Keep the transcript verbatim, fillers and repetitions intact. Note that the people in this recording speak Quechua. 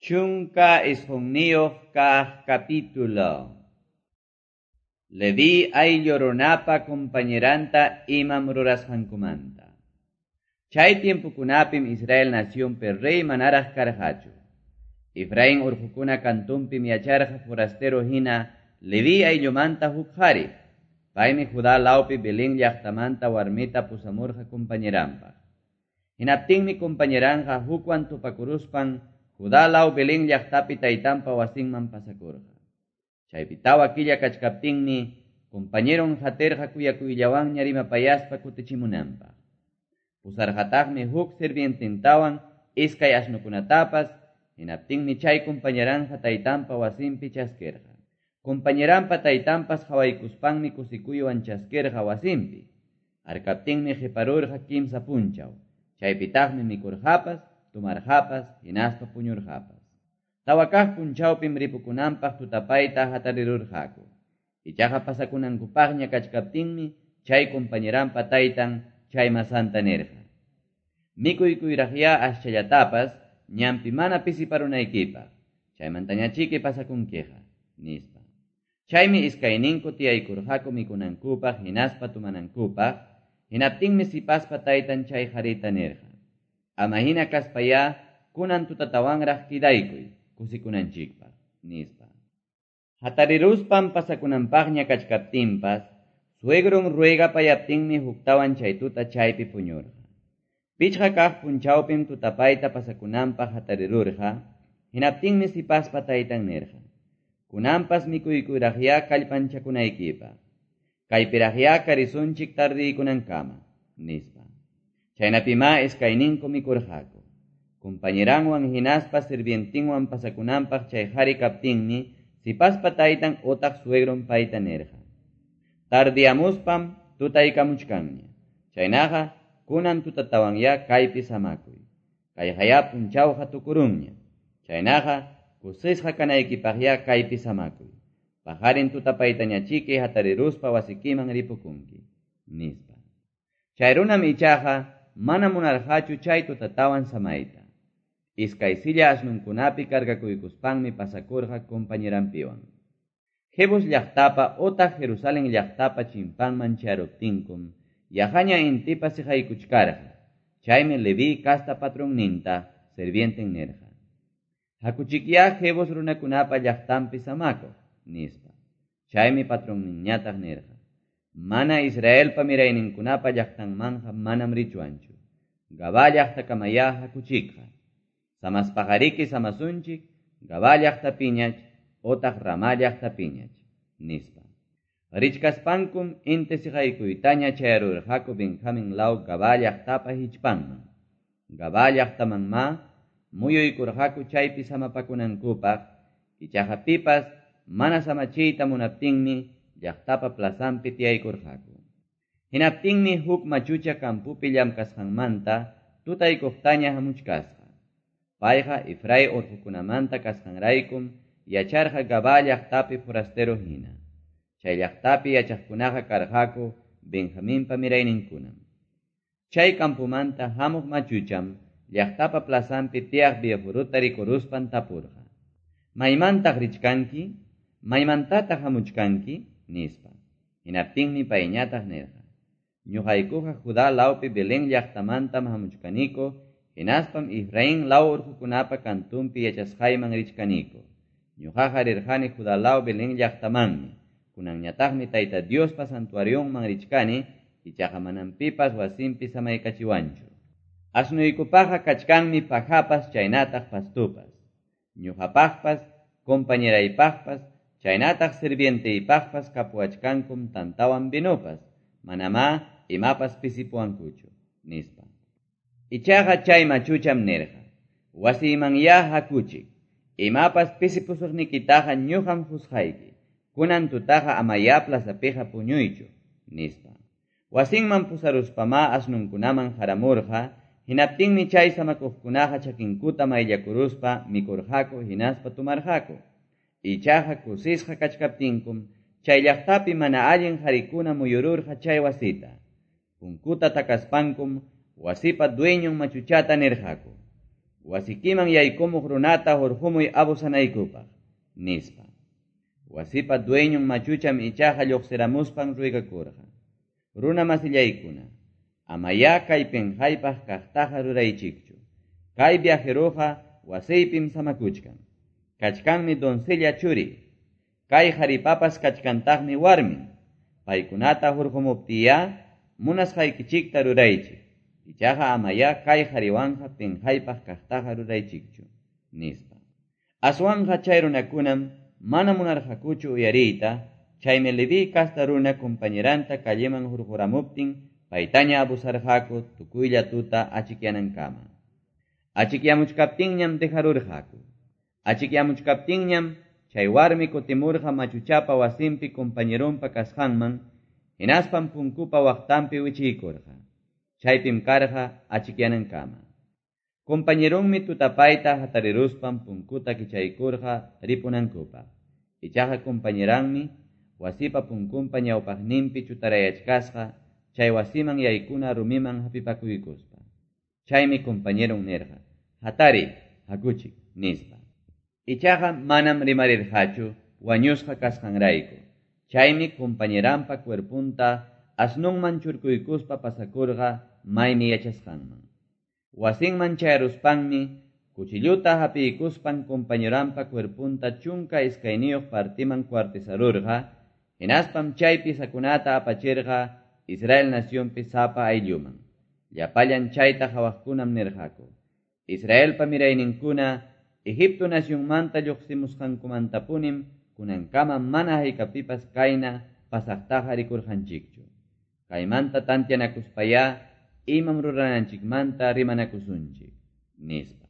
Chunka isqunniyuq kaq capítulo. Leví ayllu runapa compañeranta imam rurasqankumanta. Chay tiempokunapim Israel nacionpi rey manaraq karqachu. Efraín urqukuna kantunpim yacharqa forastero hina Leví ayllumanta huk qhari. Paymi Judá lawpi Belén llaqtamanta warmita pusamurqa compañeranpaq. Hinaptinmi compañeranqa hukwan tupakuruspan Judá law Belén llaqtapi taytanpa wasinman pasakurqa. Chaypi tawa killa kachkaptinmi compañeron haterqa kuyakuyllawanña rimapayaspa kutichimunanpaq. Pusarqataqmi huk sirvientintawan iskay asnukunatapas, hinaptinmi chay compañeranqa taytanpa wasinpi chaskirqa. Compañeranpa taytanpas qhawaykuspanmi kusikuywan chaskirqa wasinpi. Harkaptinmi qiparurqa kimsa punchaw. Chaypitaqmi mikurqapas, tumarqapas, hinaspa puñurqapas. Tawa kaq punchawpim ripukunanpaq tutapayta hatarirurqaku. Ichaqa pasakunankupaqña kachkaptinmi chay compañeranpa taytan chay masanta nirqa: Mikuykuyraqya aschallatapas ñanpi mana pisiparunaykipaq, chaymantañachiki pasakunkiqa, nispa. Chaymi iskayninku tiyaykurqaku mikunankupaq hinaspa tumanankupaq, hinaptinmi sipaspa taytan chay qharita nirqa: Ama hina kaspayá kunan tutatawanraq kidaykuy kusikunanchikpaq, nispa. Hatariruspan pasakunanpaqña kachkaptinpas, suegron ruegapayaptinmi huktawan chay tuta chaypi puñurqa. Pichqa kaq punchawpim tutapayta pasakunanpaq hatarirurqa, hinaptinmi sipaspa taytan nirqa: Kunanpas mikuykuyraqyá kallpanchakunaykipaq, kaypiraqyá karisunchik tardiykunankama, nispa. Chaynapimá iskayninku mikurqaku. Compañeranwan hinaspa sirvientinwan pasakunanpaq chay qhari kaptinmi sipaspa taytan otaq suegron payta nirqa: Tardiamuspam tutaykamuchkanña. Chaynaqa kunan tutatawanyá kaypi samakuy. Kayqayá punchawqa tukurunña. Chaynaqa kusisqa kanaykipaqyá kaypi samakuy. Paqarin tutapaytañachiki hatariruspa wasikiman ripukunki, nispa. Chay runam ichaqa mana munarqachu chay tutatawan samayta. Iskay silla asnunkunapi cargakuykuspanmi pasakurqa compañeranpiwan. Jebus llaqtapa otaq Jerusalén llaqtapa chimpanman charuptinkum yaqaña intipa siqaykuchkarqa. Chaymi Leví casta patronninta sirvienten nirqa: Hakuchikyá Jebus runakunapa llaqtanpi samakuq, nispa. Chaymi patronninñataq nirqa: Mana Israelpa mirayninkunapa llaqtanmanqa manam richuanchu. Gabá llaqtakamayá hakuchikqa. Samaspaqariki samasunchik, Gabá llaqtapiñach otaq Ramá llaqtapiñach, nispa. Richkaspankum inti siqaykuytaña chayarurqaku Benjamín law Gabá llaqtapa hichpanman. Gabá llaqtamanmá muyuykurqaku chaypi samapakunankupaq, ichaqa pipas mana samachiyta munaptinmi llaqtapa plazanpi tiyaykurqaku. Hinaptinmi huk machucha kampupi llamkasqanmanta tutaykuqtaña hamuchkasqa. Payqa Efraín urqukunamanta kasqanraykum yacharqa Gabá llaqtapi forastero hina. Chay llaqtapi yachaqkunaqa karqaku Benjaminpa mirayninkunam. Chay kampumanta hamuq machucham llaqtapa plazanpi tiyaq viejuruta rikuruspan tapurqa: Maymantaq richkanki? Maymantataq hamuchkanki? Nispa. Hinaptinmi payñataq nirqa: Ñuqaykuqa Judá lawpi Belén llaqtamantam hamuchkaniku, hinaspam Efraín law urqukunapa kantunpi yachasqayman richkaniku. Ñuqaqa rirqani Judá law Belén llaqtamanmi. Kunanñataqmi Tayta Diospa santuarionman richkani, ichaqa manam pipas wasinpi samaykachiwanchu. Asnuykupaqa kachkanmi pajapas chaynataq pastupas. Ñuqapaqpas, compañeraypaqpas, chaynataq sirvienteypaqpas kapuwachkankum tantawan vinopas, manamá imapas pisipuwankuchu, nispa. Ichaqa chay machucham nirqa: Wasiymanyá hakuchik, imapas pisipusuqnikitaqa ñuqam husqayki, kunan tutaqa amayá plazapiqa puñuychu, nispa. Wasinman pusaruspamá asnunkunaman haramurqa, hinaptinmi chay samakuqkunaqa chakinkuta mayllakuruspa mikurqaku hinaspa tumarqaku. Ichaqa kusisqa kachkaptinkum chay llaqtapi mana allin qarikuna muyururqa chay wasita. Punkuta takaspankum wasipa dueñon machuchata nirqaku: Wasikiman yaykumuq runata hurqumuy abusanaykupaq, nispa. Wasipa dueñon machucham ichaqa lluqsiramuspan ruegakurqa. Runa masillaykuna, amayá kay pinqaypaq kaqtaqa ruraychikchu. Kay viajeroqa wasiypim samakuchkan. Kachkanmi doncella churi. Kay qharipapas kachkantaqmi warmin. Paykunata hurqumuptiya munasqaykichikta ruraychik. Ichaqa amayá kay qhariwanqa pinqaypaq kaqtaqa ruraychikchu, nispa. Aswanqa chay runakunam mana munarqakuchu uyariyta, chaymi Leví kasta runa compañeranta calleman hurquramuptin paytaña abusarqaku tukuylla tuta achikyanankama. Achikyamuchkaptinñam dejarurqaku. Achikyamuchkaptinñam chay warmi kutimurqa machuchapa wasinpi compañeronpa kasqanman, hinaspan punkupa waqtanpi wichiykurqa. Chaypim karqa achikyanankama. Compañeronmi tutapayta hatariruspan punkuta kichaykurqa ripunankupaq. Ichaqa compañeranmi wasipa punkunpa ñawpaqninpi chutarayachkasqa chay wasiman yaykuna rumiman hapipakuykuspa. Chaymi compañeron nirqa, hatari, hakuchik, nispa. Ichaqa manam rimarirqachu wañusqa kasqanrayku. Chaymi compañeranpa cuerpunta asnunman churkuykuspa pasakurqa maymi yachasqanman. Wasinman chayaruspanmi cuchilluta hapiykuspan compañeranpa cuerpunta chunka iskayniyuq partiman cuartizarurqa, hinaspam chay pisakunata apachirqa Israel nacionpi sapa aylluman. Llapallan chayta qhawaqkunam nirqaku. Israelpa mirayninkuna Egipto nacionmanta lluqsimusqankumantapunim kunankama mana haykapipas kayna pasaqtaqa rikurqanchikchu. Kaymanta tantianakuspayá imam rurananchikmanta rimanakusunchik, nispa.